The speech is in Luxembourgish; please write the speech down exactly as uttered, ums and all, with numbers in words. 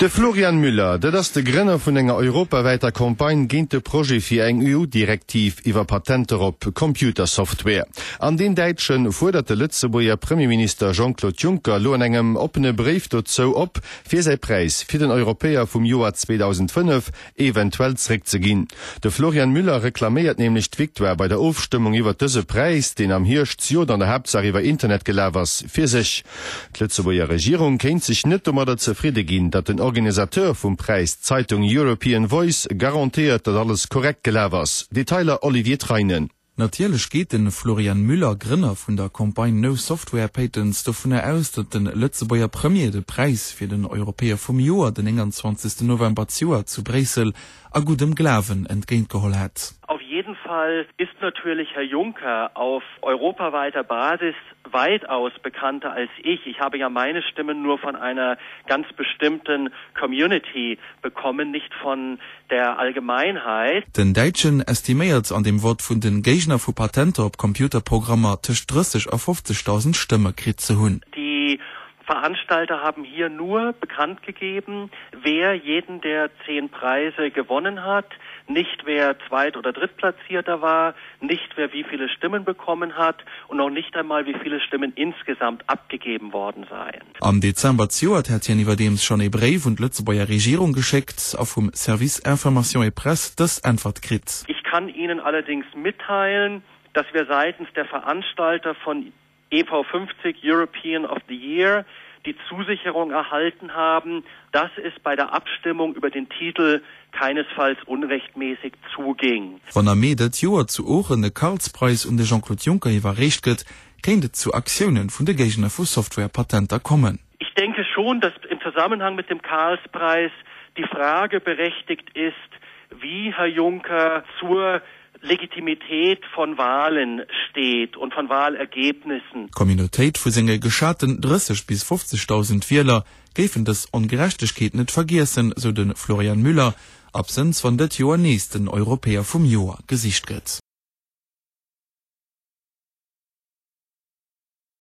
De Florian Müller, dat ass de Grënner vun enger europawäiter Campagne géint de Projet fir eng EU-Direktiv iwwer Patenter op Computersoftware. An deen Däitsche fuerdert de Lëtzebuerger Premierminister Jean-Claude Juncker lo an engem oppene Bréif dozou op, fir säi Präis fir den Europäer vum Joer zweedausendfënnef eventuell zréckzeginn. De Florian Müller reklaméiert nämlech d'Victoire bei der Ofstëmmung iwwer dëse Präis, deen am Hierscht zejoert an der Haaptsaach iwwer Internet gelaf ass, fir sech. D'Lëtzebuerger Regierung kéint sech net domadder zefridde ginn, datt den Organisateur vum Präis, d'Zeitung European Voice, garantéiert, datt alles korrekt gelaf ass. Detailer Olivier Treinen. Natierlech geet de Florian Müller, Grënner vun der Campagne No Software Patents, dovunner aus, datt de Lëtzebuerger Premier de Präis fir den Europäer vum Joer den nénganzwanzegsten November zejoert zu Bréissel a guddem Glawen entgéintgeholl hätt. Auf jeden Fall ist natürlich Herr Juncker auf europaweiter Basis weitaus bekannter als ich. Ich habe ja meine Stimmen nur von einer ganz bestimmten Community bekommen, nicht von der Allgemeinheit. Den Däitschen estiméiert an dem Vott vun de Géigner vu Patenter op Computerprogrammer tëscht drësseg a fofzegdausend Stëmme kritt ze hunn. Die Veranstalter haben hier nur bekannt gegeben, wer jeden der zehn Preise gewonnen hat, nicht wer Zweit- oder Drittplatzierter war, nicht wer wie viele Stimmen bekommen hat und noch nicht einmal wie viele Stimmen insgesamt abgegeben worden seien. Am Dezember zejoert hätt hien iwwerdeems schonn ee Bréif un d'Lëtzebuerger Regierung geschéckt a vum Service Information et Presse dës Äntwert kritt. Ich kann Ihnen allerdings mitteilen, dass wir seitens der Veranstalter von E V fünfzig European of the Year die Zusicherung erhalten haben, dass es bei der Abstimmung über den Titel keinesfalls unrechtmäßig zuging. Wann am Mee dat Joer zu Oochen de Karlspreis un de Jean-Claude Juncker iwwerreecht gëtt, kéint et zu Aktioune vun de Géigner vu Software-Patenter kommen. Ich denke schon, dass im Zusammenhang mit dem Karlspreis die Frage berechtigt ist, wie Herr Juncker zur Legitimität von Wahlen steht und von Wahlergebnissen. D'Communautéit vu senge geschaten drësseg bis fofzegdausend Wieler géifen dës Ongerechtegkeet net vergiessen, sou de Florian Müller, absënns wann dat Joer nees den Europäer vum Joer gesicht gëtt.